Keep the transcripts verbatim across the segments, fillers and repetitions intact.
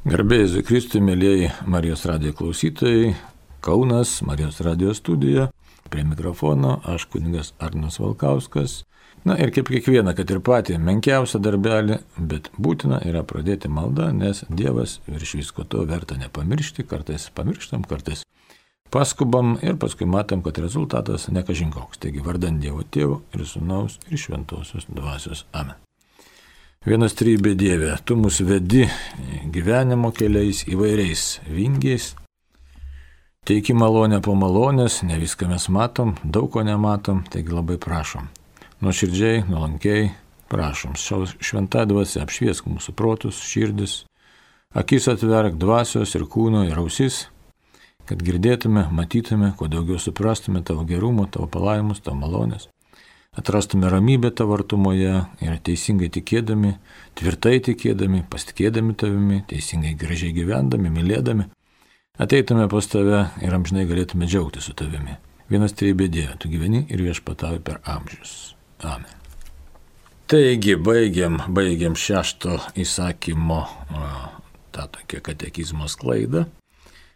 Garbė Jėzui Kristui, mėlyjeji Marijos radijo klausytojai, Kaunas, Marijos radijo studija, prie mikrofono aš kunigas Arnas Valkauskas. Na ir kaip kiekvieną, kad ir patį menkiausią darbelį, bet būtina yra pradėti maldą, nes Dievas virš visko to verta nepamiršti, kartais pamirštam, kartais paskubam ir paskui matom, kad rezultatas ne kažin koks. Taigi vardan Dievo Tėvo ir Sūnaus ir Šventosios Dvasios. Amen. Vienas trybė Dieve, Tu mus vedi gyvenimo keliais įvairiais vingiais, teiki malonę po malonės, ne viską mes matom, daug ko nematom, taigi labai prašom. Nuoširdžiai, nuolankiai prašom, šventą dvasią apšviesk mūsų protus, širdis, akis atverk dvasios ir kūno ir ausis, kad girdėtume, matytume, kuo daugiau suprastume Tavo gerumo, Tavo palaimus, Tavo malonės. Atrastume ramybę Tavo artumoje ir teisingai tikėdami, tvirtai tikėdami, pasitikėdami Tavimi, teisingai gražiai gyvendami, mylėdami, ateitume pas Tave ir amžinai galėtume džiaugti su Tavimi. Vienas trybė Dieve, Tu gyveni ir viešpatauji per amžius. Amen. Taigi, baigiam, baigiam šešto įsakymo tą tokią katekizmo sklaidą.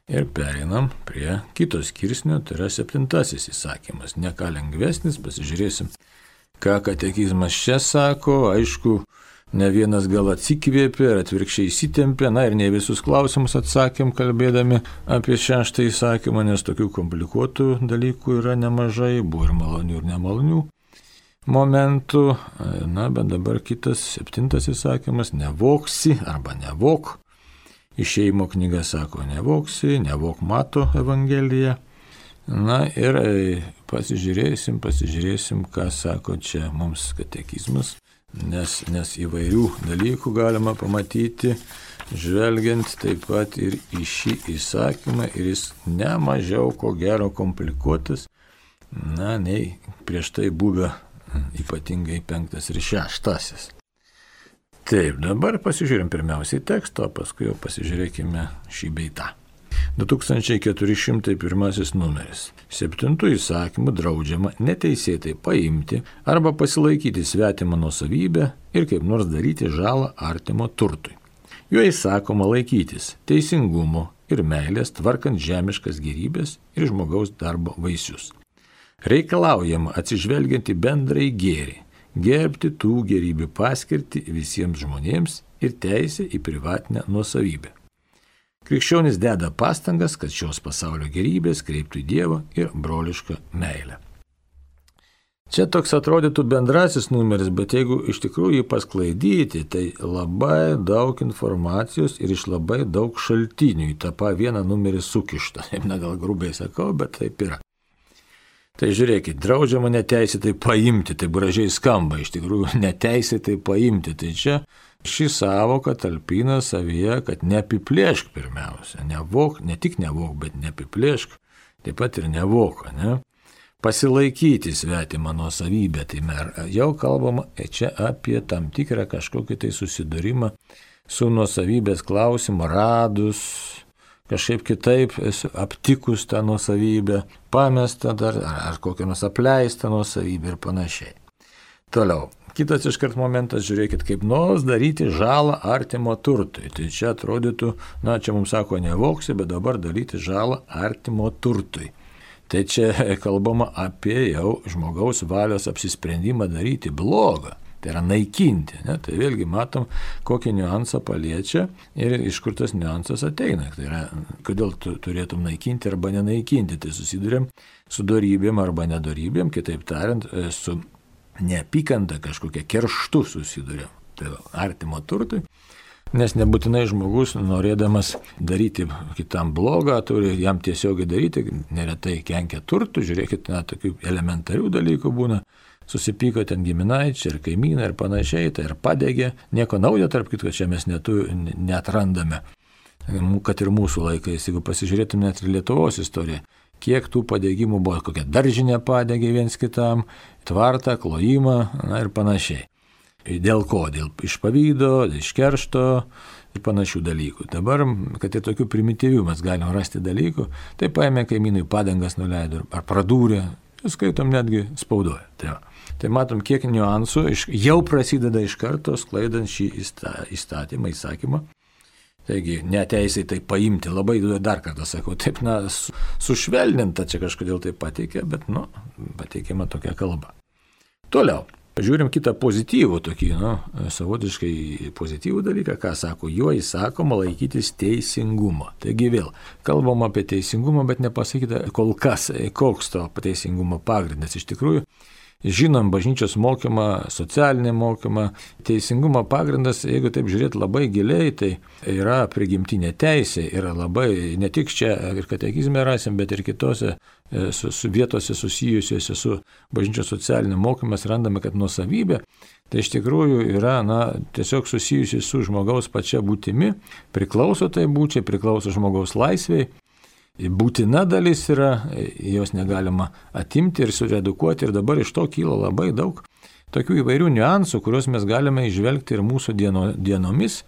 Ir pereinam prie kito skirsnio, tai yra septintasis įsakymas. Ne ką lengvesnis, pasižiūrėsim, ką katekizmas čia sako. Aišku, ne vienas gal atsikvėpė ir atvirkščiai įsitempė, na ir ne visus klausimus atsakėm kalbėdami apie šeštą įsakymą, nes tokių komplikuotų dalykų yra nemažai, buvo ir malonių ir nemalonių momentų. Na, bet dabar kitas septintas įsakymas, nevogsi arba nevok. Išėjimo knyga sako, nevoksi, nevok Mato Evangelija. Na ir pasižiūrėsim, pasižiūrėsim, ką sako čia mums katekizmas, nes, nes įvairių dalykų galima pamatyti, žvelgiant taip pat ir į šį įsakymą, ir jis nemažiau ko gero komplikuotas, na, nei prieš tai buvę ypatingai penktas ir šeštasis. Taip, dabar pasižiūrim pirmiausiai tekstą, o paskui jau pasižiūrėkime šį bei tą. du tūkstančiai keturi šimtai pirmasis numeris. Septintų įsakymų draudžiama neteisėtai paimti arba pasilaikyti svetimą nuosavybę ir kaip nors daryti žalą artimo turtui. Juo įsakoma laikytis teisingumo ir meilės, tvarkant žemiškas gėrybės ir žmogaus darbo vaisius. Reikalaujama atsižvelgiant į bendrąjį gėrį, gerbti tų gėrybių paskirtį visiems žmonėms ir teisę į privatinę nuosavybę. Krikščionis deda pastangas, kad šios pasaulio gėrybės kreiptų į Dievą ir brolišką meilę. Čia toks atrodytų bendrasis numeris, bet jeigu iš tikrųjų jį pasklaidyti, tai labai daug informacijos ir iš labai daug šaltinių į tą vieną numerį sukišta. Na, gal grubiai sakau, bet taip yra. Tai žiūrėkit, draudžiama neteisėtai paimti, tai gražiai skamba, iš tikrųjų neteisėtai paimti. Tai čia ši sąvoka talpina savyje, kad neapiplėšk pirmiausia, nevok, ne tik nevok, bet neapiplėšk, taip pat ir nevok, ne? Pasilaikyti svetimą nuosavybę, tai mer, jau kalbama čia apie tam tikrą kažkokį tai susidūrimą su nuosavybės klausimu, radus, kažkaip kitaip esu aptikus tą nuosavybę, pamestą dar, ar, ar kokią nors apleistą nuosavybę ir panašiai. Toliau, kitas iškart momentas, žiūrėkit, kaip nors daryti žalą artimo turtui. Tai čia atrodytų, na, čia mums sako nevoksi, bet dabar daryti žalą artimo turtui. Tai čia kalbama apie jau žmogaus valios apsisprendimą daryti blogą. Tai yra naikinti, ne? Tai vėlgi matom, kokį niuansą paliečia ir iš kur tas niuansas ateina. Tai yra, kodėl tu turėtum naikinti arba nenaikinti. Tai susidurėm su dorybėm arba nedorybėm, kitaip tariant, su neapykanta kažkokia kerštu susidurėm. Tai artimo turtui. Nes nebūtinai žmogus, norėdamas daryti kitam blogą, turi jam tiesiogiai daryti, neretai kenkia turtų, žiūrėkit, na, tokių elementarių dalykų būna. Susipyko ten giminaičiai ir kaimynai ir panašiai, tai ir padegė. Nieko naujo, tarp kitko, čia mes netu, neatrandame. Kad ir mūsų laikais, jeigu pasižiūrėtume net ir Lietuvos istoriją, kiek tų padegimų buvo, kokia daržinė padegė viens kitam, tvartą, klojimą, na ir panašiai. Dėl ko? Dėl iš pavydo, iš keršto ir panašių dalykų. Dabar, kad ir tokių primityvių mes galim rasti dalykų, tai paėmė kaimynui padangas nuleido ar pradūrė, skaitom netgi spaudoje. Tai, tai matom, kiek niuansų iš, jau prasideda iš karto sklaidant šį įstatymą, įsakymą. Taigi, neteisėtai paimti, labai dar kartą sakau, taip, na, sušvelninta čia kažkodėl tai pateikė, bet, nu, pateikėma tokia kalba. Toliau, žiūrim kitą pozityvų tokį, nu, savotiškai pozityvų dalyką, ką sako, juo įsakoma laikytis teisingumo. Taigi vėl, kalbam apie teisingumą, bet nepasakyta kol kas, koks to teisingumo pagrindas iš tikrųjų. Žinom bažnyčios mokymą, socialinį mokymą, teisingumo pagrindas, jeigu taip žiūrėti labai giliai, tai yra prigimtinė teisė, yra labai, ne tik čia ir katekizme rasim, bet ir kitose su, su vietose susijusiuose su bažnyčios socialiniu mokymas randame, kad nuosavybė, tai iš tikrųjų yra, na, tiesiog susijusi su žmogaus pačia būtimi, priklauso tai būčiai, priklauso žmogaus laisvei. Būtina dalis yra, jos negalima atimti ir suredukuoti ir dabar iš to kyla labai daug tokių įvairių niuansų, kuriuos mes galime išvelgti ir mūsų dieno, dienomis,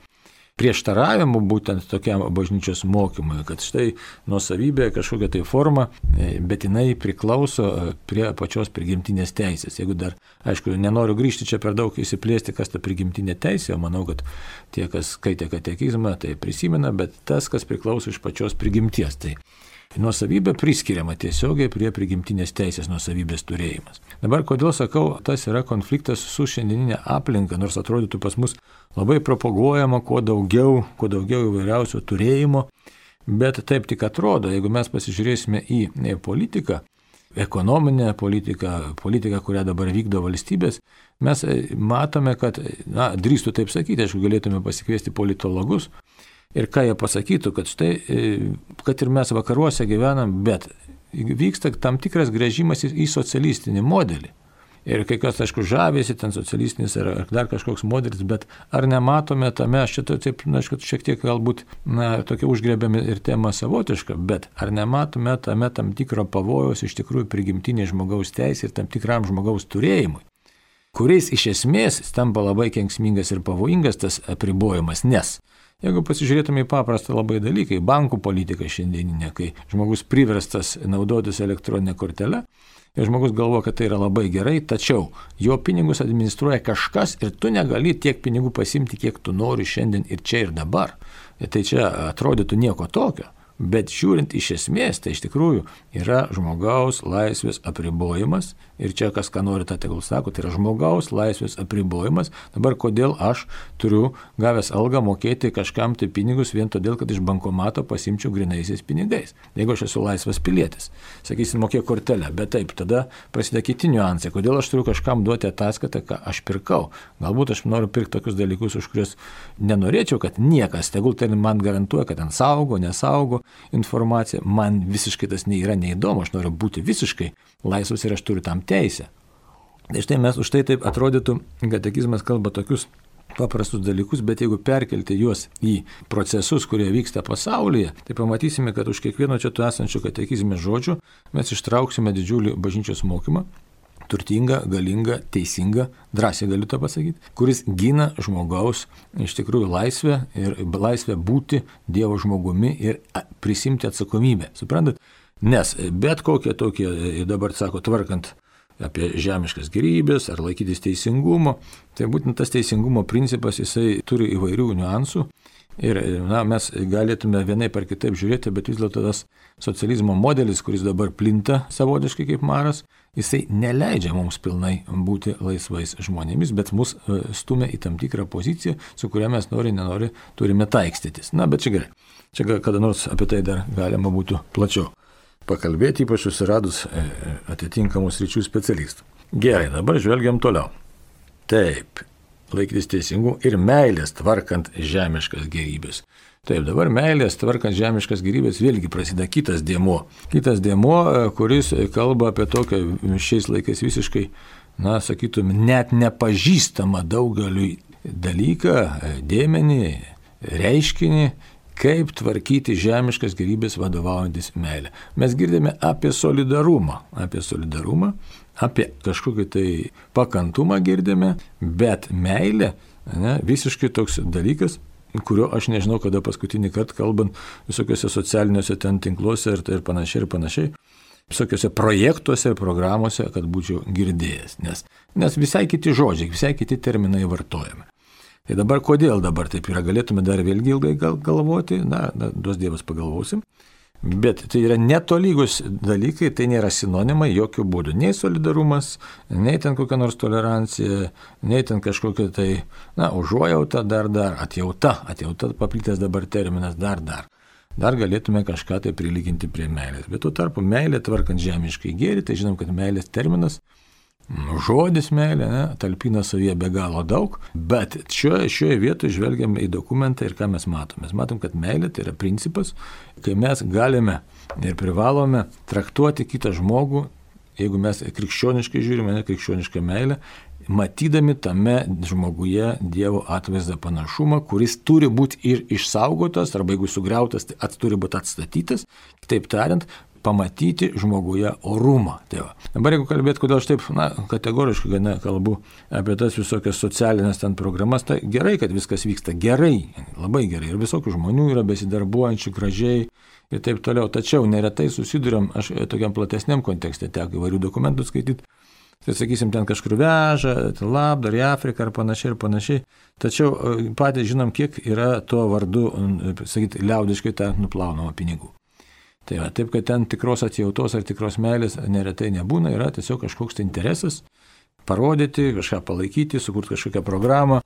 prieštaravimų būtent tokiam bažnyčios mokymui, kad štai nuosavybė kažkokia tai forma, bet jinai priklauso prie pačios prigimtinės teisės. Jeigu dar, aišku, nenoriu grįžti čia per daug įsiplėsti, kas ta prigimtinė teisė, o manau, kad tie, kas skaitė katekizmą, tai prisimena, bet tas, kas priklauso iš pačios prigimties. Tai nuosavybė priskiriama tiesiogiai prie prigimtinės teisės nuosavybės turėjimas. Dabar, kodėl sakau, tas yra konfliktas su šiandieninė aplinka, nors atrodytų pas mus labai propaguojama kuo daugiau, kuo daugiau įvairiausio turėjimo, bet taip tik atrodo, jeigu mes pasižiūrėsime į politiką, ekonominę politiką, politiką, kurią dabar vykdo valstybės, mes matome, kad, na, drįstu taip sakyti, aišku, galėtume pasikviesti politologus, ir ką jie pasakytų, kad štai, kad ir mes vakaruose gyvenam, bet vyksta tam tikras grįžimas į socialistinį modelį. Ir kai kas, aišku, žavėsi ten socialistinis ar dar kažkoks modelis, bet ar nematome tame, aš čia taip, na, aišku, šiek tiek galbūt, na, tokia užgrebėme ir tema savotiška, bet ar nematome tame tam tikro pavojaus iš tikrųjų prigimtinė žmogaus teisė ir tam tikram žmogaus turėjimui, kuriais iš esmės tampa labai kenksmingas ir pavojingas tas apribojimas, nes jeigu pasižiūrėtume į paprastą labai dalyką, į bankų politiką šiandieninę, kai žmogus priverstas naudotis elektroninę kortelę ir žmogus galvoja, kad tai yra labai gerai, tačiau jo pinigus administruoja kažkas ir tu negali tiek pinigų pasimti, kiek tu nori šiandien ir čia ir dabar. Ir tai čia atrodytų nieko tokio. Bet žiūrint iš esmės, tai iš tikrųjų yra žmogaus laisvės apribojimas ir čia kas ką nori, tą tegul sako, tai yra žmogaus laisvės apribojimas. Dabar kodėl aš turiu gavęs algą mokėti kažkam tai pinigus vien todėl, kad iš bankomato pasimčiau grinaisiais pinigais. Jeigu aš esu laisvas pilietis, sakysim, mokėk kortelę, bet taip, tada prasideda kiti niuansai, kodėl aš turiu kažkam duoti ataskaitą, ką aš pirkau. Galbūt aš noriu pirkti tokius dalykus, už kuriuos nenorėčiau, kad niekas, tegul tai man garantuoja, kad ten saugo, nesaugo informacija, man visiškai tas nėra neįdomu, aš noriu būti visiškai laisvas ir aš turiu tam teisę. Tai štai mes už tai taip atrodytų, katekizmas kalba tokius paprastus dalykus, bet jeigu perkelti juos į procesus, kurie vyksta pasaulyje, tai pamatysime, kad už kiekvieno čia tu esančio katekizme žodžių mes ištrauksime didžiulį bažnyčios mokymą, turtingą, galingą, teisingą, drąsiai galiu tą pasakyti, kuris gina žmogaus iš tikrųjų laisvę ir laisvę būti Dievo žmogumi ir prisimti atsakomybę. Suprantat? Nes bet kokie tokie, dabar sako, tvarkant apie žemiškas gėrybės ar laikytis teisingumo, tai būtent tas teisingumo principas, jisai turi įvairių niuansų. Ir na, mes galėtume vienaip ar kitaip žiūrėti, bet vis dėlto tas socializmo modelis, kuris dabar plinta savotiškai kaip maras, jisai neleidžia mums pilnai būti laisvais žmonėmis, bet mus stumia į tam tikrą poziciją, su kuria mes nori, nenori turime taikstytis. Na, bet čia gerai. Čia kada nors apie tai dar galima būtų plačiau pakalbėti, ypač susiradus atitinkamus ryčių specialistų. Gerai, dabar žvelgiam toliau. Taip. Laikytis teisingų ir meilės tvarkant žemiškas gėrybės. Taip, dabar meilės tvarkant žemiškas gėrybės vėlgi prasideda kitas dėmuo. Kitas dėmuo, kuris kalba apie tokią šiais laikais visiškai, na, sakytum, net nepažįstamą daugeliui dalyką, dėmenį, reiškinį, kaip tvarkyti žemiškas gėrybės vadovaujantis meilę. Mes girdime apie solidarumą, apie solidarumą, apie kažkokį tai pakantumą girdime, bet meilė, ne, visiškai toks dalykas, kurio aš nežinau, kada paskutinį kartą kalbant visokiuose socialiniuose ten tinkluose ir, ir panašiai ir panašiai, visokiuose projektuose ir programuose, kad būčiau girdėjęs, nes, nes visai kiti žodžiai, visai kiti terminai vartojami. Tai dabar kodėl dabar taip yra, galėtume dar vėlgi ilgai gal, galvoti, na, na, duos Dievas pagalvosim. Bet tai yra netolygus dalykai, tai nėra sinonimai jokių būdų. Nei solidarumas, nei ten kokia nors tolerancija, nei ten kažkokia tai, na, užuojauta, dar, dar, atjauta, atjauta paplitęs dabar terminas, dar, dar. Dar galėtume kažką tai prilyginti prie meilės. Bet tuo tarpu meilė tvarkant žemiškai gėrį, tai žinom, kad meilės terminas, žodis meilė, ne, talpina savyje be galo daug, bet šioje, šioje vietoje žvelgiame į dokumentą ir ką mes matome. Mes matom, kad meilė tai yra principas, kai mes galime ir privalome traktuoti kitą žmogų, jeigu mes krikščioniškai žiūrime, ne krikščionišką meilę, matydami tame žmoguje Dievo atvaizdą panašumą, kuris turi būti ir išsaugotas, arba jeigu sugriautas, tai turi būti atstatytas, kitaip tariant, pamatyti žmoguje orumą. Tai va. Dabar jeigu kalbėt, kodėl aš taip na, kategoriškai gana kalbu apie tas visokias socialinės ten programas, tai gerai, kad viskas vyksta gerai, labai gerai. Ir visokių žmonių yra besidarbuojančių gražiai ir taip toliau. Tačiau neretai susiduriam, aš tokiam platesniam kontekste teko įvairių dokumentų skaityti, tai sakysim, ten kažkur veža, labdar į Afriką ar panašiai ir panašiai. Tačiau patys žinom, kiek yra tuo vardu, sakyti, liaudiškai tą nuplaunama pinigų. Tai va, taip, kad ten tikros atjautos ar tikros meilės neretai nebūna, yra tiesiog kažkoks tai interesas parodyti, kažką palaikyti, sukurti kažkokią programą,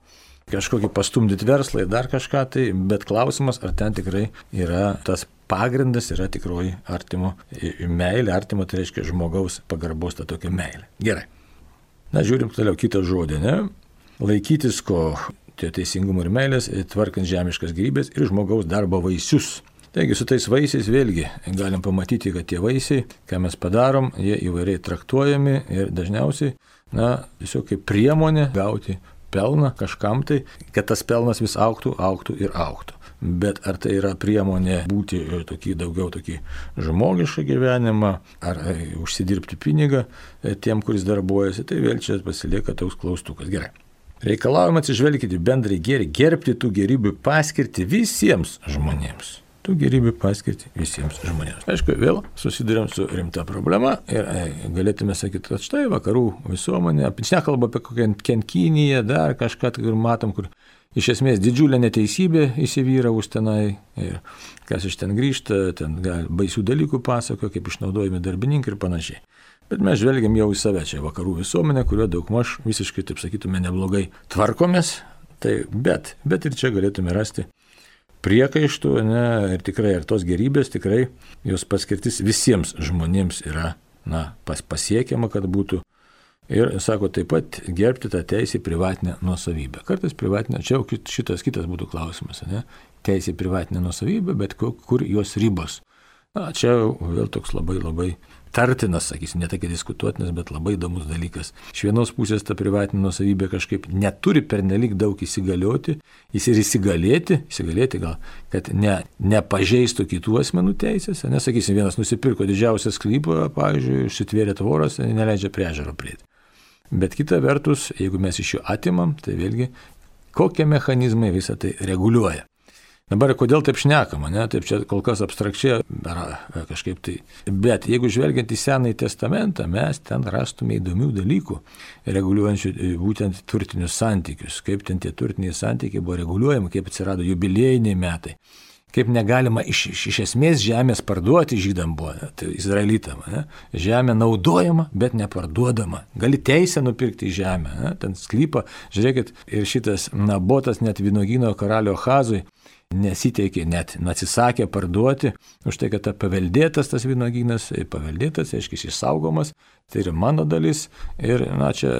kažkokį pastumdyti verslą ir dar kažką, tai, bet klausimas, ar ten tikrai yra tas pagrindas, yra tikroji artimo meilė, artimo tai reiškia žmogaus pagarbos ta tokia meilė. Gerai. Na, žiūrim toliau kitą žodį, ne? Laikytis ko, tai teisingumo ir meilės, tvarkant žemiškas gyvybės ir žmogaus darbo vaisius. Taigi su tais vaisiais vėlgi galim pamatyti, kad tie vaisiai, ką mes padarom, jie įvairiai traktuojami ir dažniausiai, na, tiesiog kaip priemonė gauti pelną kažkam tai, kad tas pelnas vis augtų, augtų ir augtų. Bet ar tai yra priemonė būti tokį daugiau tokį žmogišką gyvenimą, ar e, užsidirbti pinigą e, tiem, kuris darbuojasi, tai vėl čia pasilieka toks klaustukas. Gerai. Reikalavimą atsižvelgti bendrai gėrį, gerbti tų gerybių paskirti visiems žmonėms. Tų gerybių paskirti visiems žmonėms. Aišku, vėl susidurėm su rimta problema ir e, galėtume sakyti, kad štai vakarų visuomenė, nekalba apie kokią Kiniją, dar kažką, kur matom, kur iš esmės didžiulė neteisybė įsivyravus tenai ir kas iš ten grįžta, ten gal, baisių dalykų pasako, kaip išnaudojami darbininkai ir panašiai. Bet mes žvelgiam jau į save čia vakarų visuomenę, kurio daugmaž visiškai, taip sakytume, neblogai tvarkomės, tai bet, bet ir čia galėtume rasti priekaištų, ne, ir tikrai, ir tos gerybės tikrai, jos paskirtis visiems žmonėms yra, na, pas, pasiekiama, kad būtų. Ir, sako, taip pat gerbti tą teisę į privatinę nuosavybę. Kartais privatinę, čia jau šitas kitas būtų klausimas, ne, teisė į privatinę nuosavybę, bet kur, kur jos ribos. Na, čia vėl toks labai labai tartinas, sakysim, ne tokia diskutuotinas, bet labai įdomus dalykas. Iš vienos pusės ta privatinė nuosavybė kažkaip neturi pernelyg daug įsigalioti, jis ir įsigalėti, įsigalėti gal, kad ne, nepažeistų kitų asmenų teisės, nesakysim, vienas nusipirko didžiausią sklypą, pavyzdžiui, užsitvėrė tvoras, neleidžia prie ežero prieiti. Bet kita vertus, jeigu mes iš jo atimam, tai vėlgi, kokie mechanizmai visą tai reguliuoja. Dabar kodėl taip šnekama, ne? Taip čia kol kas abstrakčiai kažkaip tai. Bet jeigu žvelgiant į Senąjį testamentą, mes ten rastume įdomių dalykų, reguliuojančių būtent turtinius santykius, kaip ten tie turtiniai santykiai buvo reguliuojami, kaip atsirado jubiliejiniai metai, kaip negalima iš, iš, iš esmės žemės parduoti žydam buvo, ne? Tai izraelitam, ne? Žemė naudojama, bet neparduodama. Gali teisę nupirkti žemę, ne? Ten sklypą, žiūrėkit, ir šitas Nabotas net vynuogyno karalio Ahazui nesiteikė, net atsisakė parduoti, už tai, kad ta paveldėtas tas vynuogynas, paveldėtas, aiškiai, išsaugomas, tai yra mano dalis. Ir, na, čia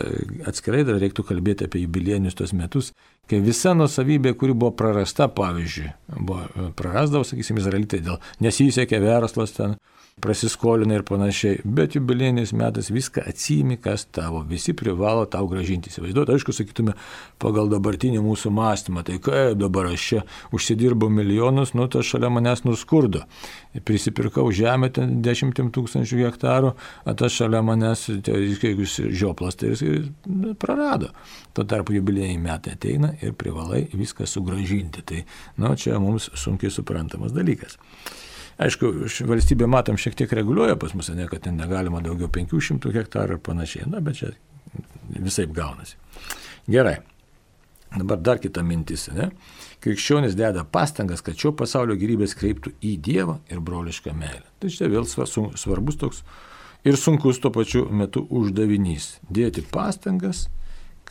atskirai dar reiktų kalbėti apie jubiliejinius tos metus, kai visa nuosavybė, kuri buvo prarasta, pavyzdžiui, buvo prarasdavo, sakysim, izraelitai, dėl nesisekė verslas ten, prasiskolina ir panašiai, bet jubiliejiniais metais viską atsiimi, kas tavo, visi privalo tau gražinti. Įsivaizduoti, aišku, sakytume, pagal dabartinį mūsų mąstymą, tai kaip dabar aš čia užsidirbau milijonus, nu tai šalia manęs nuskurdo. Prisipirkau žemę ten dešimtim tūkstančių hektarų, o tas šalia manęs, jeigu žioplas, tai jis prarado. Tuo tarpu jubiliejiniai metai ateina ir privalai viską sugražinti. Tai, nu, čia mums sunkiai suprantamas dalykas. Aišku, valstybė, matom, šiek tiek reguliuoja pas mus, ne, kad ten negalima daugiau penkių šimtų hektarų ir panašiai, na, bet čia visaip gaunasi. Gerai. Dabar dar kita mintis, ne? Krikščionis deda pastangas, kad šio pasaulio gyvybės kreiptų į Dievą ir brolišką meilę. Tai čia vėl svarbus toks ir sunkus tuo pačiu metu uždavinys. Dėti pastangas,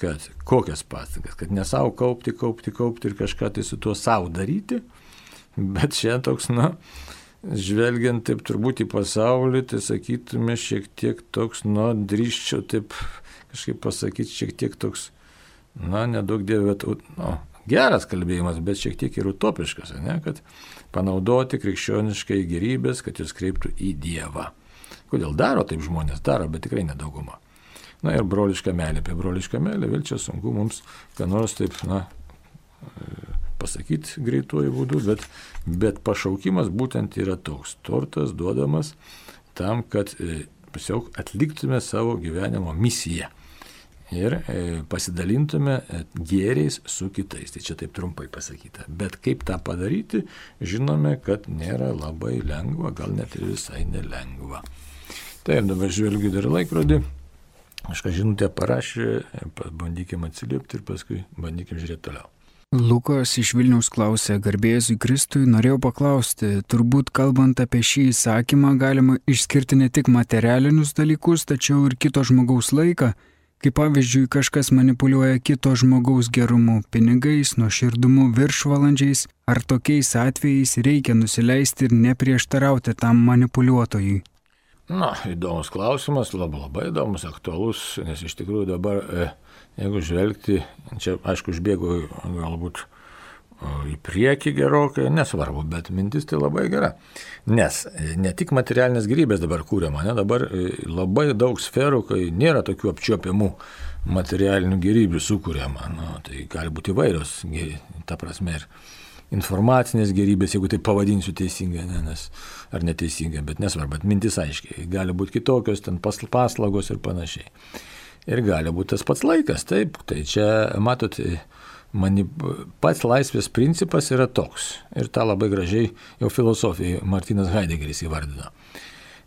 kad kokias pastangas, kad ne savo kaupti, kaupti, kaupti ir kažką tai su tuo savo daryti, bet čia toks, na, žvelgiant taip turbūt į pasaulį, tai sakytume šiek tiek toks, na, drįsčiau taip kažkaip pasakyti, šiek tiek toks, na, nedaug dievė, nu, geras kalbėjimas, bet šiek tiek ir utopiškas, ne, kad panaudoti krikščioniškai gėrybės, kad jūs kreiptų į Dievą. Kodėl daro taip žmonės? Daro, bet tikrai nedauguma. Na ir broliška meilė, apie brolišką meilę vėl čia sunku mums, ką nors taip, na, pasakyti greituoju būdu, bet, bet pašaukimas būtent yra toks. Tortas duodamas tam, kad tiesiog atliktume savo gyvenimo misiją ir pasidalintume gėriais su kitais. Tai čia taip trumpai pasakyta. Bet kaip tą padaryti, žinome, kad nėra labai lengva, gal net ir visai nelengva. Tai dabar žvelgiu dar laikrodį. Aš ką žinutę parašė, bandykime atsiliepti ir paskui bandykime žiūrėti toliau. Lukas iš Vilniaus klausė, garbėzui Kristui, norėjau paklausti, turbūt kalbant apie šį įsakymą galima išskirti ne tik materialinius dalykus, tačiau ir kito žmogaus laiką, kaip pavyzdžiui kažkas manipuliuoja kito žmogaus gerumu, pinigais, nuoširdumu, viršvalandžiais, ar tokiais atvejais reikia nusileisti ir neprieštarauti tam manipuliuotojui. Na, įdomus klausimas, labai, labai įdomus, aktualus, nes iš tikrųjų dabar, jeigu žvelgti, čia aišku užbėgu galbūt į priekį gerokai, nesvarbu, bet mintis tai labai gera. Nes ne tik materialinės gyvybės dabar kūriama, ne, dabar labai daug sferų, kai nėra tokių apčiuopiamų materialinių gyvybių sukūriama. Nu, tai gali būti įvairios, ta prasme, ir informacinės gerybės, jeigu tai pavadinsiu teisingai, ne, nes, ar neteisingai, bet nesvarbu, bet mintis aiškiai, gali būti kitokios, ten paslaugos ir panašiai. Ir gali būti tas pats laikas, taip, tai čia, matot, mani, pats laisvės principas yra toks, ir tą labai gražiai jau filosofijai Martinas Heideggeris įvardino.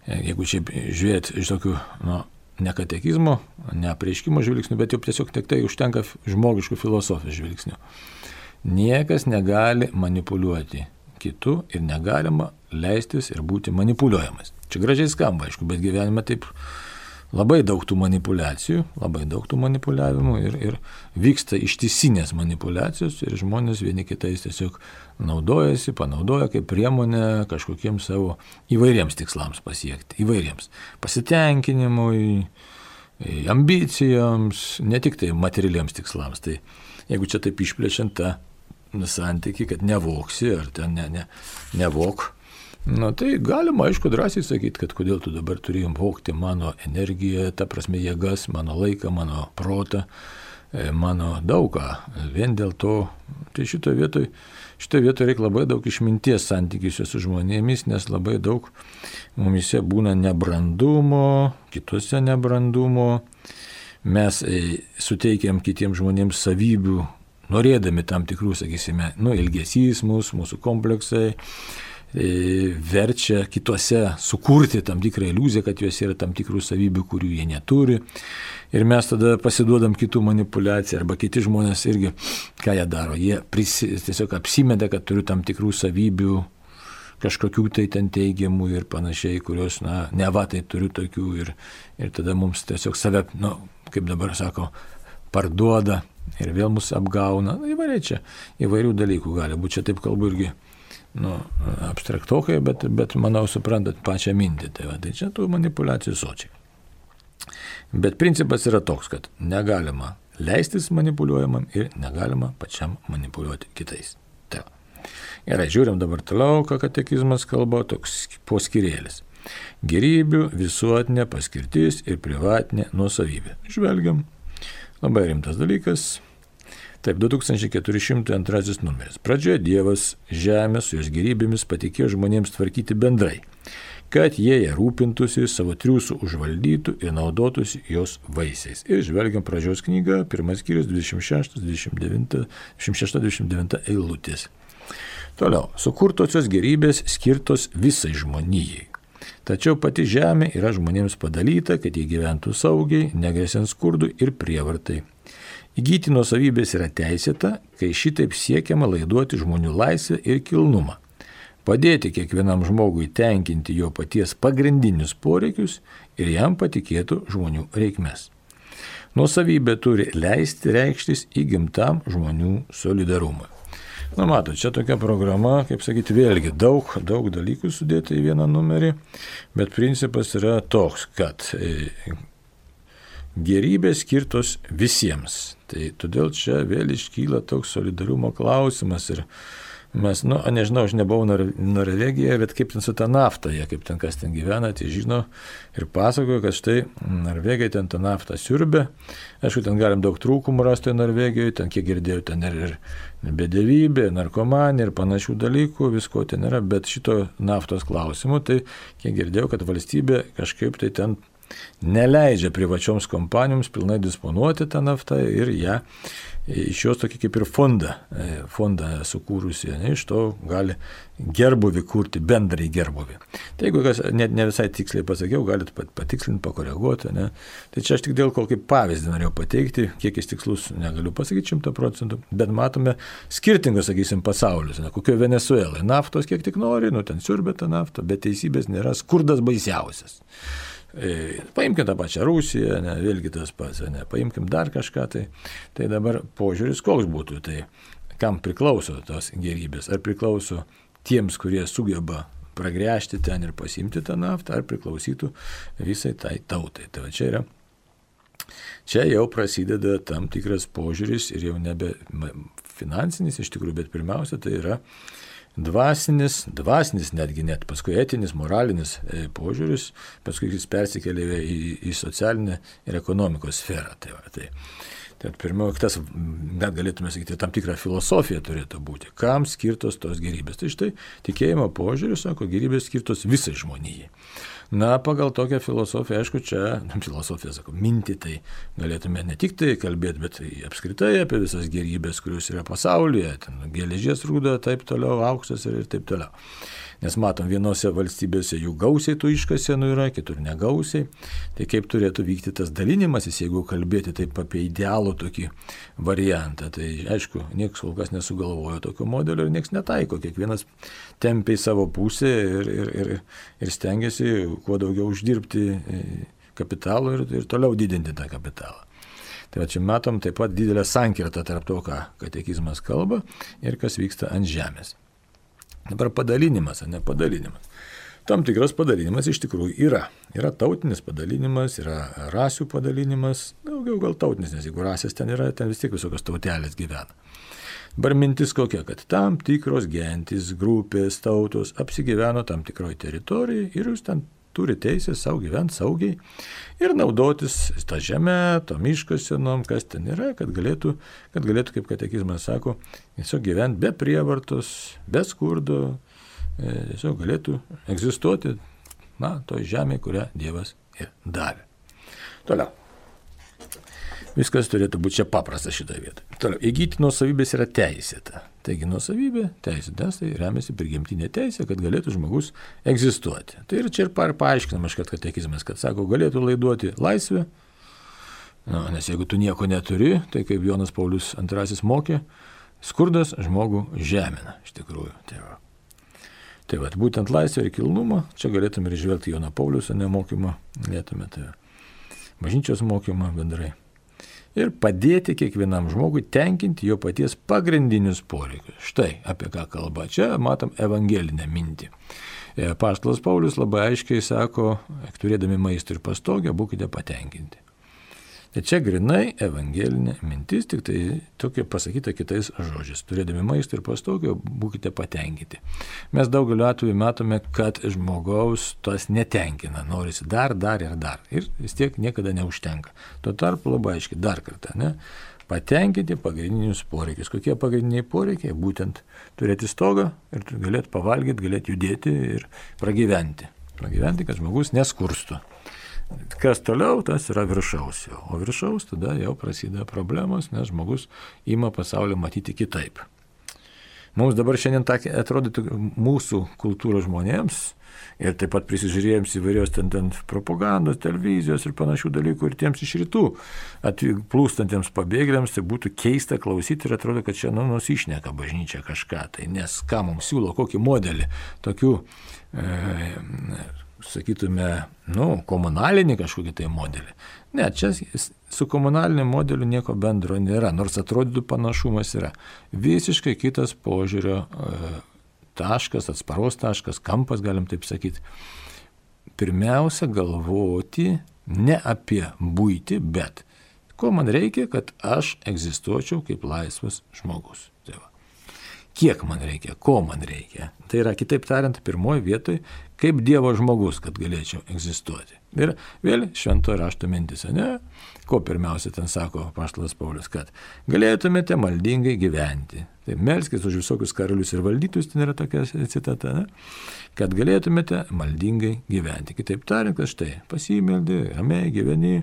Jeigu šiaip žiūrėti iš tokių, nu, ne katekizmo, ne apreiškimo žvilgsnių, bet jau tiesiog tik tai užtenka žmogiškų filosofijos žvilgsnių. Niekas negali manipuliuoti kitų ir negalima leistis ir būti manipuliuojamas. Čia gražiai skamba, aišku, bet gyvenime taip labai daug tų manipulacijų, labai daug tų manipuliavimų ir, ir vyksta ištisinės manipulacijos ir žmonės vieni kitais tiesiog naudojasi, panaudoja kaip priemonę kažkokiems savo įvairiems tikslams pasiekti, įvairiems pasitenkinimui, ambicijoms, ne tik tai materialiems tikslams. Tai jeigu čia taip išplečiant tą santykį, kad nevoksi ar ten ne, ne, nevok, nu, tai galima, aišku, drąsiai sakyti, kad kodėl tu dabar turėjom vokti mano energiją, ta prasme jėgas, mano laiką, mano protą, mano daugą. Vien dėl to, tai šitoje vietoje, šitoje vietoje reikia labai daug išminties santykiuose su žmonėmis, nes labai daug mumise būna nebrandumo, kitose nebrandumo. Mes suteikiam kitiems žmonėms savybių, norėdami tam tikrų, sakysime, nu, ilgesys mūsų, mūsų kompleksai, verčia kitose sukurti tam tikrą iliuziją, kad juose yra tam tikrų savybių, kurių jie neturi. Ir mes tada pasiduodam kitų manipulaciją, arba kiti žmonės irgi, ką jie daro, jie prisi, tiesiog apsimeda, kad turiu tam tikrų savybių, kažkokių tai ten teigiamų ir panašiai, kurios, na, neva tai turiu tokių ir, ir tada mums tiesiog save, nu, kaip dabar sako, parduoda ir vėl mus apgauna. Įvairiai čia, įvairių dalykų gali būti. Čia taip kalbu irgi, nu, abstraktokai, bet, bet manau, suprantat pačią mintį. Tai, va, tai čia tų manipulacijų sočiai. Bet principas yra toks, kad negalima leistis manipuliuojamam ir negalima pačiam manipuliuoti kitais. Tai va. Gerai, žiūrim dabar toliau, ką katekizmas kalba, toks poskyrėlis. Gerybių visuotinė paskirtis ir privatinė nuosavybė. Žvelgiam. Labai rimtas dalykas. Taip, du tūkstančiai keturi šimtai antrasis numeris. Pradžioje Dievas žemę su jos gerybėmis patikėjo žmonėms tvarkyti bendrai, kad jie ją rūpintųsi, savo triūsų užvaldytų ir naudotųsi jos vaisiais. Ir žvelgiam pradžios knygą, pirmas skyrius, dvidešimt šeštas dvidešimt devinta eilutės. Toliau, sukurtosios gerybės skirtos visai žmonijai. Tačiau pati žemė yra žmonėms padalyta, kad jie gyventų saugiai, negresiant skurdui ir prievartai. Įgyti nuosavybės yra teisėta, kai šitaip siekiama laiduoti žmonių laisvę ir kilnumą. Padėti kiekvienam žmogui tenkinti jo paties pagrindinius poreikius ir jam patikėtų žmonių reikmes. Nuosavybė turi leisti reikštis įgimtam žmonių solidarumui. Na, matot, čia tokia programa, kaip sakyti, vėlgi daug, daug dalykų sudėti į vieną numerį, bet principas yra toks, kad gerybės skirtos visiems. Tai todėl čia vėl iškyla toks solidarumo klausimas ir mes, nu, nežinau, aš nebuvau Norvegijoje, bet kaip ten su ta nafta, jie kaip ten kas ten gyvena, tai žino ir pasakojo, kad štai Norvegai ten tą naftą siurbė. Aišku, ten galim daug trūkumų rasti Norvegijoje, ten kiek girdėjau, ten ir, ir bedevybė, narkomanė ir panašių dalykų, visko ten yra, bet šito naftos klausimu, tai kiek girdėjau, kad valstybė kažkaip tai ten neleidžia privačioms kompanijoms pilnai disponuoti tą naftą ir ją iš jos tokį kaip ir fondą, fondą sukūrusi, ne, iš to gali gerbuvį kurti, bendrai gerbuvį. Tai jeigu kas net ne visai tiksliai pasakiau, galit patikslinti, pakoreguoti. Ne. Tai čia aš tik dėl ko kaip pavyzdį norėjau pateikti, kiek jis tikslus negaliu pasakyti šimtą procentų, bet matome skirtingus, sakysim, pasaulius. Ne, kokio Venezuelai naftos kiek tik nori, nu ten siurbė tą naftą, bet teisybės nėra, skurdas baisiausias. Paimkim tą pačią Rusiją, ne, vėlgi tas pats, ne, paimkim dar kažką, tai, tai dabar požiūris koks būtų, tai kam priklauso tos gerybės, ar priklauso tiems, kurie sugeba pragręžti ten ir pasimti tą naftą, ar priklausytų visai tai tautai. Tai va čia yra, čia jau prasideda tam tikras požiūris ir jau nebe finansinis iš tikrųjų, bet pirmiausia tai yra dvasinis, dvasinis netgi net, paskui etinis, moralinis e, požiūris, paskui jis persikėlė į, į socialinę ir ekonomikos sferą. Tai, va, tai, tai pirmiau, tas, net galėtume sakyti, tam tikrą filosofiją turėtų būti. Kam skirtos tos gerybės? Tai štai tikėjimo požiūris, sako, gerybės skirtos visai žmonijai. Na, pagal tokią filosofiją, aišku, čia, filosofija, sako, mintį tai galėtume ne tik tai kalbėti, bet apskritai apie visas gerybės, kurios yra pasaulyje, ten geležies rūda, taip toliau, auksas ir, ir taip toliau. Nes matom, vienose valstybėse jų gausiai tų iškasenų yra, kitur negausiai. Tai kaip turėtų vykti tas dalinimasis, jeigu kalbėti taip apie idealų tokį variantą. Tai aišku, niekas kol kas nesugalvojo tokio modelio ir niekas netaiko. Kiekvienas tempia į savo pusę ir, ir, ir, ir stengiasi kuo daugiau uždirbti kapitalo ir, ir toliau didinti tą kapitalą. Tai va čia matom taip pat didelę sankirtą tarp to, ką katekizmas kalba ir kas vyksta ant žemės. Dabar padalinimas, ar ne padalinimas. Tam tikras padalinimas iš tikrųjų yra. Yra tautinis padalinimas, yra rasių padalinimas, daugiau gal tautinis, nes jeigu rasės ten yra, ten vis tiek visokios tautelės gyvena. Dabar mintis kokia, kad tam tikros gentys, grupės, tautos apsigyveno tam tikroje teritorijoje ir jūs ten turi teisę savo gyventi saugiai ir naudotis tą žemę, to miško senom, kas ten yra, kad galėtų, kad galėtų, kaip katekizmas sako, tiesiog gyventi be prievartos, be skurdo, tiesiog galėtų egzistuoti, na, toj žemė, kurią Dievas ir davė. Toliau. Viskas turėtų būti čia paprasta šitoje vietoje. Toliau, įgyti nuosavybės yra teisėta. Taigi nuosavybė, teisėtas, tai remiasi prigimtinė teisė, kad galėtų žmogus egzistuoti. Tai ir čia ir paaiškinamas, kad katekizmas, kad sako, galėtų laiduoti laisvę, nu, nes jeigu tu nieko neturi, tai kaip Jonas Paulius antrasis mokė, skurdas žmogų žemina, iš tikrųjų. Tai va, tai va būtent laisvė ir kilnumą, čia galėtume ir žvelgti Jono Paulius nemokymą, galėtume tai bažnyčios mokymą bendrai. Ir padėti kiekvienam žmogui tenkinti jo paties pagrindinius poreikius. Štai apie ką kalba. Čia matom evangelinę mintį. Apaštalas Paulius labai aiškiai sako, turėdami maistą ir pastogę, būkite patenkinti. Tai čia grinai evangelinė mintis, tik tai tokia pasakyta kitais žodžiais. Turėdami maistą ir pastogę, būkite patenkinti. Mes daugeliu atveju matome, kad žmogaus tas netenkina, norisi dar, dar ir dar. Ir vis tiek niekada neužtenka. Tuo tarpu labai aiškiai dar kartą, ne? Patenkinti pagrindinius poreikius. Kokie pagrindiniai poreikiai? Būtent turėti stogą ir galėti pavalgyti, galėti judėti ir pragyventi. Pragyventi, kad žmogus neskurstų. Kas toliau, tas yra viršaus jau. O viršaus tada jau prasideda problemos, nes žmogus ima pasaulį matyti kitaip. mums dabar šiandien atrodytų mūsų kultūros žmonėms, ir taip pat prisižiūrėjams įvairios ten, ten propagandos, televizijos ir panašių dalykų, ir tiems iš rytų plūstantiems pabėgėliams, tai būtų keista klausyti ir atrodo, kad čia nu, nusišneka bažnyčia kažką. Tai nes ką mums siūlo, kokį modelį, tokių, e, sakytume, nu, komunalinį kažkokį tai modelį. Ne, čia su komunaliniu modeliu nieko bendro nėra, nors atrodytų panašumas yra. Visiškai kitas požiūrio e, taškas, atsparos taškas, kampas, galim taip sakyti. Pirmiausia, galvoti ne apie buitį, bet ko man reikia, kad aš egzistuočiau kaip laisvas žmogus. Tai va. Kiek man reikia, ko man reikia. Tai yra, kitaip tariant, pirmoji vietoj, kaip Dievo žmogus, kad galėčiau egzistuoti. Ir vėl šventojo rašto mintis, ne? Ko pirmiausia ten sako apaštalas Paulius, kad galėtumėte maldingai gyventi. Tai melskis už visokius karalius ir valdytus, ten yra tokia citata, ne? Kad galėtumėte maldingai gyventi. Kitaip tariant, kad štai pasimeldi, ramiai gyveni,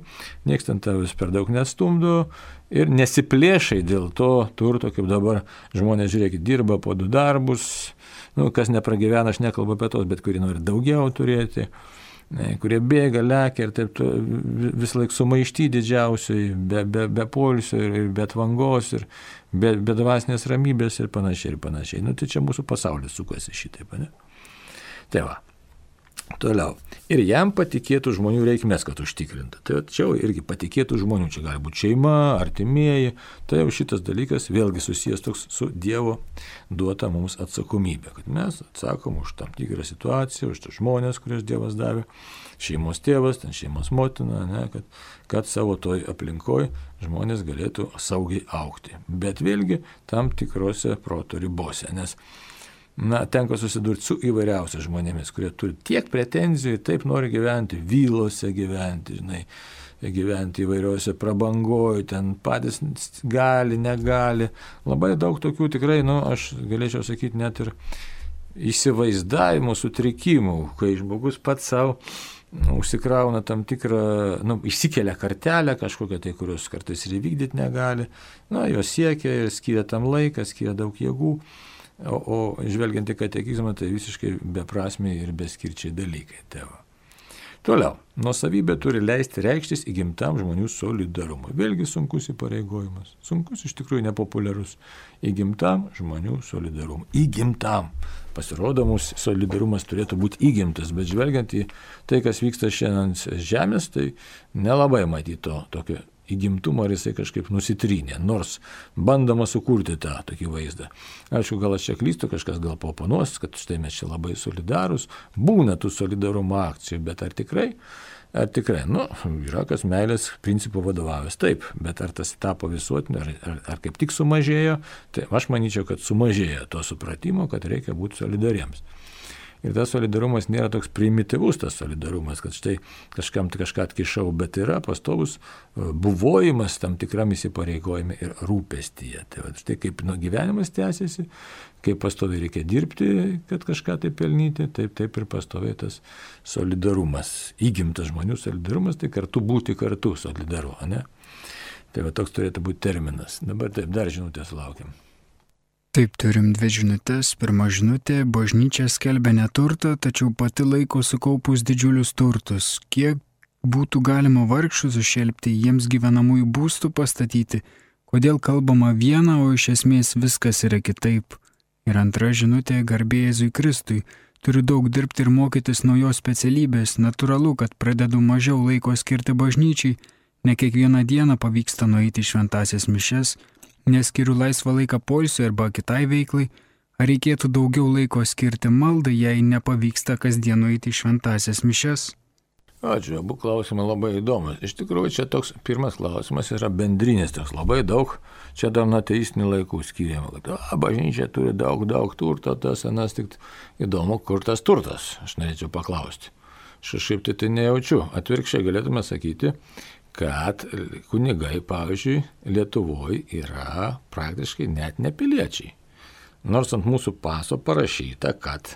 nieks ten tavęs per daug nestumdo ir nesiplėšai dėl to turto, kaip dabar žmonės, žiūrėkit, dirba po du darbus, nu, kas nepragyvena, aš nekalbu apie tos, bet kuri nori daugiau turėti, kurie bėga, lekia ir taip vis laik sumaišty didžiausiai, be, be, be poilsio ir be tvangos ir be, be dvasinės ramybės ir panašiai ir panašiai. Nu, tai čia mūsų pasaulis sukasi šitaip, ne? Tai va. Toliau. Ir jam patikėtų žmonių reikmės, kad užtikrinta. Tai čia irgi patikėtų žmonių, čia gali būti šeima, artimieji, tai jau šitas dalykas vėlgi susijęs toks su Dievo duota mums atsakomybė, kad mes atsakom už tam tikrą situaciją, už tas žmonės, kurias Dievas davė, šeimos tėvas, ten šeimos motina, ne, kad, kad savo toj aplinkoj žmonės galėtų saugiai augti. Bet vėlgi tam tikrose proto ribose, nes na, tenka susidurti su įvairiausiais žmonėmis, kurie turi tiek pretenzijų, taip nori gyventi, vylose gyventi, žinai, gyventi įvairiuose prabangoje, ten patys gali, negali. Labai daug tokių tikrai, nu, aš galėčiau sakyti, net ir įsivaizdavimo sutrikimų, kai žmogus pats savo užsikrauna tam tikrą, nu, išsikelia kartelę kažkokią, tai kurios kartais ir įvykdyti negali, na, jos siekia ir skiria tam laiką, skiria daug jėgų. O, o žvelgiant į katekizmą, tai visiškai beprasmiai ir beskirčiai dalykai. Tėva. Toliau, nuosavybė turi leisti reikštis įgimtam žmonių solidarumui. Vėlgi sunkus įpareigojimas. Sunkus, iš tikrųjų nepopuliarus. Įgimtam žmonių solidarumui. Įgimtam. Pasirodo, mūsų solidarumas turėtų būti įgimtas, bet žvelgiant į tai, kas vyksta šiandien žemės, tai nelabai matyti to tokio įgimtumą, ar jisai kažkaip nusitrynė, nors bandoma sukurti tą tokį vaizdą. Aišku, gal aš čia klystu, kažkas gal paoponuos, kad štai mes čia labai solidarūs, būna tų solidarumo akcijų, bet ar tikrai, ar tikrai, nu, yra kas meilės principų vadovavęs, taip, bet ar tas tapo visuotinio, ar, ar, ar kaip tik sumažėjo, tai aš manyčiau, kad sumažėjo to supratimo, kad reikia būti solidariems. Ir tas solidarumas nėra toks primityvus, tas solidarumas, kad štai kažkam kažką atkišau, bet yra pastovus buvojimas tam tikram įsipareigojime ir rūpestyje. Tai va, štai kaip nu, gyvenimas tęsiasi, kaip pastoviai reikia dirbti, kad kažką tai pelnyti, taip, taip ir pastoviai tas solidarumas, įgimtas žmonių solidarumas, tai kartu būti kartu solidaru, ne? Tai va toks turėtų būti terminas. Dabar taip, dar žinutės laukiam. Taip, turim dvi žinutės. Pirma žinutė, bažnyčia skelbia neturtą, tačiau pati laiko sukaupus didžiulius turtus. Kiek būtų galima vargšus sušelpti, jiems gyvenamųjų būstų pastatyti? Kodėl kalbama viena, o iš esmės viskas yra kitaip? Ir antra žinutė, garbė Jėzui Kristui. Turiu daug dirbti ir mokytis naujos specialybės. Natūralu, kad pradedu mažiau laiko skirti bažnyčiai. Ne kiekvieną dieną pavyksta nueiti šventąsias mišias. Neskiriu laisvą laiką poilsiui arba kitai veiklai, ar reikėtų daugiau laiko skirti maldai, jei nepavyksta kasdien nueiti į šventąsias mišias? Ačiū, abu klausimai labai įdomus. Iš tikrųjų, čia toks pirmas klausimas yra bendrinis, toks labai daug, čia dar nuo ateistinių laikų skiriama. A, bažnyčia turi daug, daug turto, tas anas, tik įdomu, kur tas turtas, aš norėčiau paklausti. Šiaip tai tai nejaučiu, atvirkščiai galėtume sakyti, kad kunigai, pavyzdžiui, Lietuvoje yra praktiškai net nepiliečiai. Nors ant mūsų paso parašyta, kad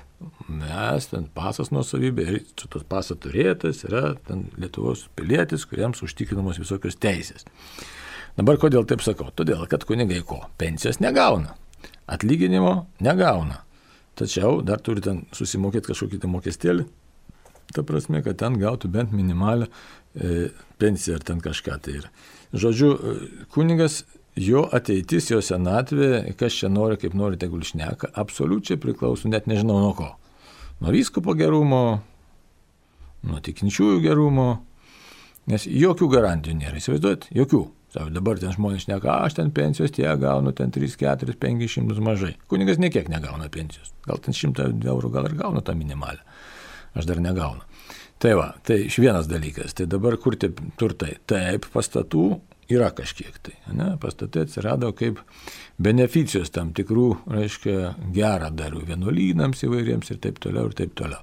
mes, ten pasas nuosavybė ir šitos paso turėtas yra ten Lietuvos pilietis, kuriems užtikrinamos visokios teisės. Dabar kodėl taip sakau? Todėl, kad kunigai ko? Pensijos negauna. atlyginimo negauna. Tačiau dar turi ten susimokėti kažkokį tai mokestėlį, ta prasme, kad ten gautų bent minimalią e, pensiją ar ten kažką tai yra. Žodžiu, kunigas, jo ateitis, jo senatvė, kas čia nori, kaip nori, tegul šneka, absoliučiai priklauso, net nežinau nuo ko. Nuo vyskupo gerumo, nuo tikinčiųjų gerumo, nes jokių garantijų nėra, įsivaizduojat, jokių. Savo, dabar ten žmonės šneka, aš ten pensijos tie gaunu, ten tris, keturis, penkis šimtus mažai. Kunigas niekiek negauna pensijos, gal ten šimtą eurų gal ir gauna tą minimalę, aš dar negaunu. Tai va, tai iš vienas dalykas, tai dabar kur tie turtai, taip, pastatų yra kažkiek tai, ne? Pastatai atsirado kaip beneficijos tam tikrų, reiškia, gerą darių vienuolynams įvairiems ir taip toliau ir taip toliau.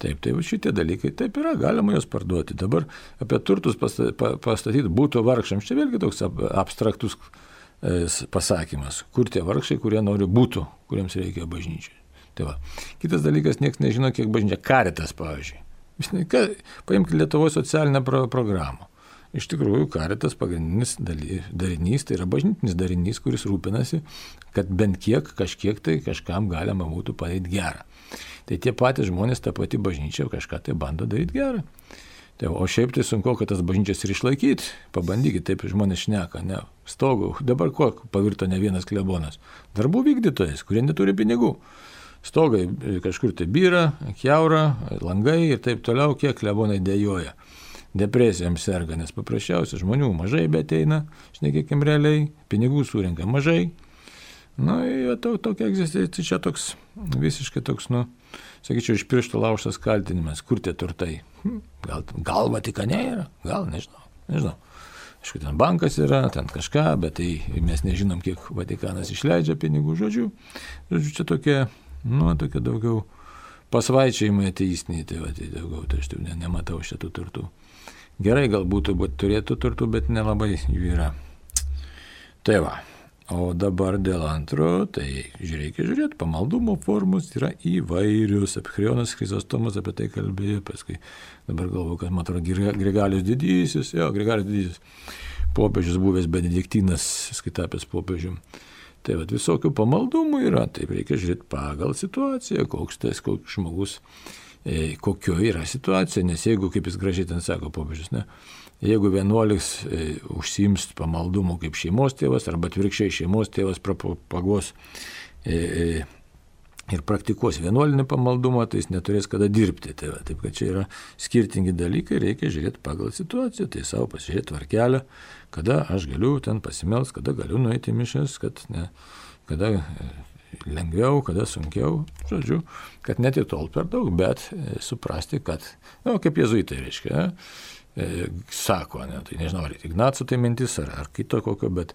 Taip, tai šitie dalykai taip yra, galima juos parduoti. Dabar apie turtus pastatyti būtų vargšams, čia vėlgi toks abstraktus pasakymas, kur tie vargšai, kurie nori būtų, kuriems reikia bažnyčiai. Tai va. Kitas dalykas, niekas nežino, kiek bažnyčia, Caritas, pavyzdžiui. Paimkite Lietuvos socialinę pro- programą. Iš tikrųjų, Caritas pagrindinis darinys, tai yra bažnytinis darinys, kuris rūpinasi, kad bent kiek, kažkiek tai kažkam galima būtų padaryti gerą. Tai tie patys žmonės, ta pati bažnyčia kažką tai bando daryti gerą. Tai, o šiaip tai sunku, kad tas bažnyčias ir išlaikyti. Pabandykit, taip žmonės šneka, ne, stogų. Dabar ko pavirto ne vienas klebonas? Darbų vykdytojas, kurie neturi pinigų. Stogai kažkur tai byra, kiaura, langai ir taip toliau, kiek klebonai dėjoja. Depresijom serga, nes paprasčiausiai žmonių mažai beteina, šnekėkim realiai, pinigų surinka mažai. Na, nu, to, tokia egzistencija, čia toks, visiškai toks, nu, sakyčiau, iš piršto laužtas kaltinimas, kur tie turtai. Gal, gal Vatikane yra, gal, nežinau, nežinau. Aišku, ten bankas yra, ten kažką, bet tai mes nežinom, kiek Vatikanas išleidžia pinigų, žodžiu. Žodžiu, čia tokie, nu, tokie daugiau pasvaičiai ateistiniai, tai, va, tai daugiau, tai aš tai ne, nematau šitų turtų. Gerai, galbūt turėtų turtų, bet nelabai jų yra. Tai va, o dabar dėl antro, tai reikia žiūrėti, pamaldumo formos yra įvairius. Epichrionas Chrizostomas apie tai kalbėjo, paskui dabar galvoju, kad man atrodo Grigalius Didysis, jo, Grigalius Didysis, popiežius buvęs Benediktinas, skaitapęs popiežium. Tai va, visokių pamaldumų yra, taip reikia žiūrėti pagal situaciją, koks tas, koks žmogus, e, kokio yra situacija, nes jeigu, kaip jis gražiai ten sako popiežius, ne, jeigu vienuolis e, užsiims pamaldumu kaip šeimos tėvas, arba atvirkščiai šeimos tėvas propaguos e, e, ir praktikuos vienuolinį pamaldumą, tai jis neturės kada dirbti. Tai va, taip, kad čia yra skirtingi dalykai, reikia žiūrėti pagal situaciją, tai savo pasižiūrėti tvarkelę, kada aš galiu ten pasimels, kada galiu nueiti mišęs, kad ne, kada lengviau, kada sunkiau, žodžiu, kad net ir tol per daug, bet e, suprasti, kad, na, nu, kaip jėzuitai reiškia, e, sako, ne, tai nežinau, ar Ignaco tai mintis, ar, ar kito kokio, bet,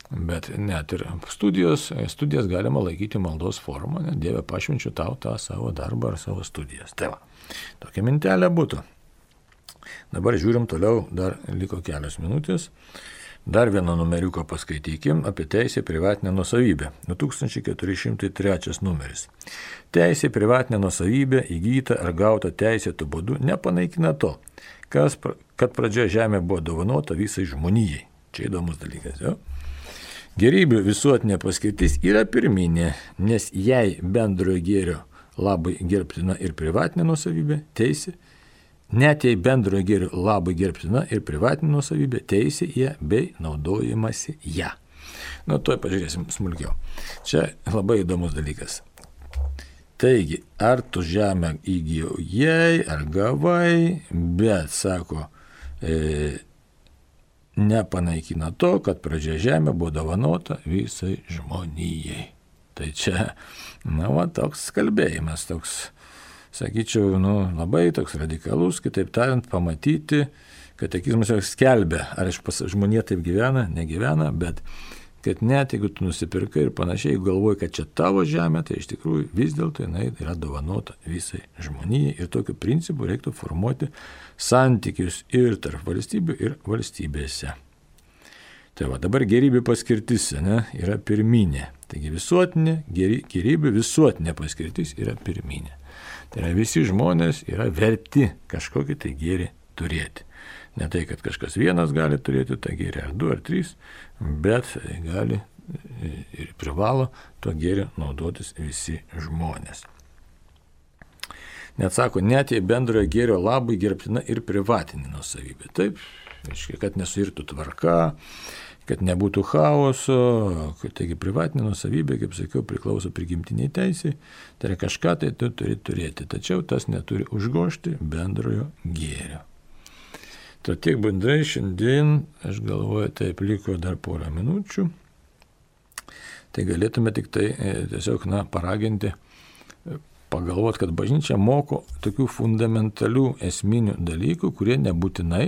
bet net ir studijos, studijas galima laikyti maldos formą, ne, Dieve pašvenčiu tau tą savo darbą ar savo studijas. Tai va, tokia mintelė būtų. Dabar žiūrim toliau, dar liko kelios minutės. Dar vieną numeriuką paskaitykim apie teisę privatinę nuosavybę. du tūkstančiai keturi šimtai trečias numeris. Teisė privatinė nuosavybė įgyta ar gauta teisėtų būdu nepanaikina to, kas, kad pradžioje žemė buvo dovanota visai žmonijai. Čia įdomus dalykas, jo. Gerybių visuotinė paskirtis yra pirminė, nes jei bendrojo gėrio labai gerbtina ir privatinė nuosavybė, teisė, net jei bendrojo gėrio labai gerbtina ir privatinė nuosavybė, teisė ją bei naudojimasi ją. Nu, tuoj pažiūrėsim smulkiau. Čia labai įdomus dalykas. Taigi, ar tu žemę įgijai, ar gavai, bet, sako, e, nepanaikina to, kad pradžioje žemė buvo dovanota visai žmonijai. Tai čia, na, va, toks kalbėjimas, toks, sakyčiau, nu, labai toks radikalus, kitaip tariant, pamatyti, katekizmas jau skelbia, ar iš pas žmonė taip gyvena, negyvena, bet kad net jeigu tu nusipirkai ir panašiai, jeigu galvoji, kad čia tavo žemė, tai iš tikrųjų vis dėlto jinai yra dovanota visai žmonijai ir tokiu principu reiktų formuoti santykius ir tarp valstybių ir valstybėse. Tai va, dabar gerybių paskirtis, ne, yra pirminė. Taigi visuotinė, gerybių visuotinė paskirtis yra pirminė. Tai yra visi žmonės yra verti kažkokį tai gėrį turėti. Ne tai, kad kažkas vienas gali turėti tą gėrį, ar du, ar trys, bet gali ir privalo tuo gėriu naudotis visi žmonės. Net sako, net jei bendrojo gėrio labai gerbtina ir privatinė nuosavybė. Taip, reiškia, kad nesuirtų tvarka, kad nebūtų chaoso, kad taigi privatinė nuosavybė, kaip sakiau, priklauso prigimtiniai teisei, tai yra kažką tai tu turi turėti, tačiau tas neturi užgožti bendrojo gėrio. To tiek bendrai šiandien, aš galvoju, taip liko dar porą minučių, tai galėtume tik tai tiesiog, na, paraginti, pagalvoti, kad bažnyčia moko tokių fundamentalių esminių dalykų, kurie nebūtinai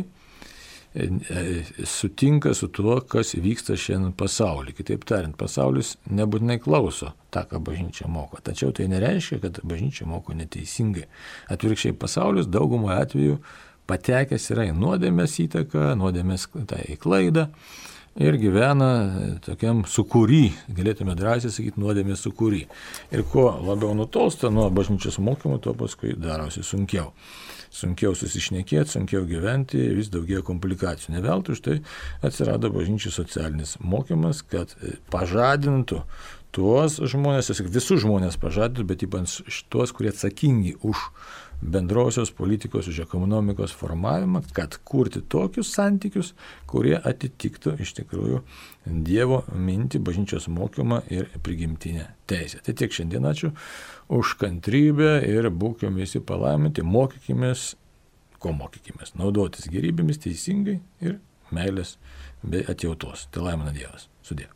sutinka su tuo, kas vyksta šiandien pasaulyje. Kitaip tariant, pasaulis nebūtinai klauso tą, ką bažnyčia moko. Tačiau tai nereiškia, kad bažnyčia moko neteisingai. Atvirkščiai, pasaulis daugumo atveju patekęs yra į nuodėmės įtaką, nuodėmės tai į klaidą ir gyvena tokiam sukūry, galėtume drąsiai sakyti, nuodėmės sukūry. Ir kuo labiau nutolsta nuo bažnyčios mokymo, tuo paskui darosi sunkiau. Sunkiau susišnekėti, sunkiau gyventi, vis daugiau komplikacijų. Ne veltui už tai atsirado bažnyčios socialinis mokymas, kad pažadintų tuos žmonės, visus žmonės pažadintų, bet ypač tuos, kurie atsakingi už bendrosios politikos, už ekonomikos formavimą, kad kurti tokius santykius, kurie atitiktų iš tikrųjų Dievo mintį, bažnyčios mokymą ir prigimtinę teisę. Tai tiek šiandien, ačiū už kantrybę ir būkime visi palaiminti, mokykimės, ko mokykimės, naudotis gerybėmis teisingai ir meilės bei atjautos. Tai laimina Dievas. Sudie.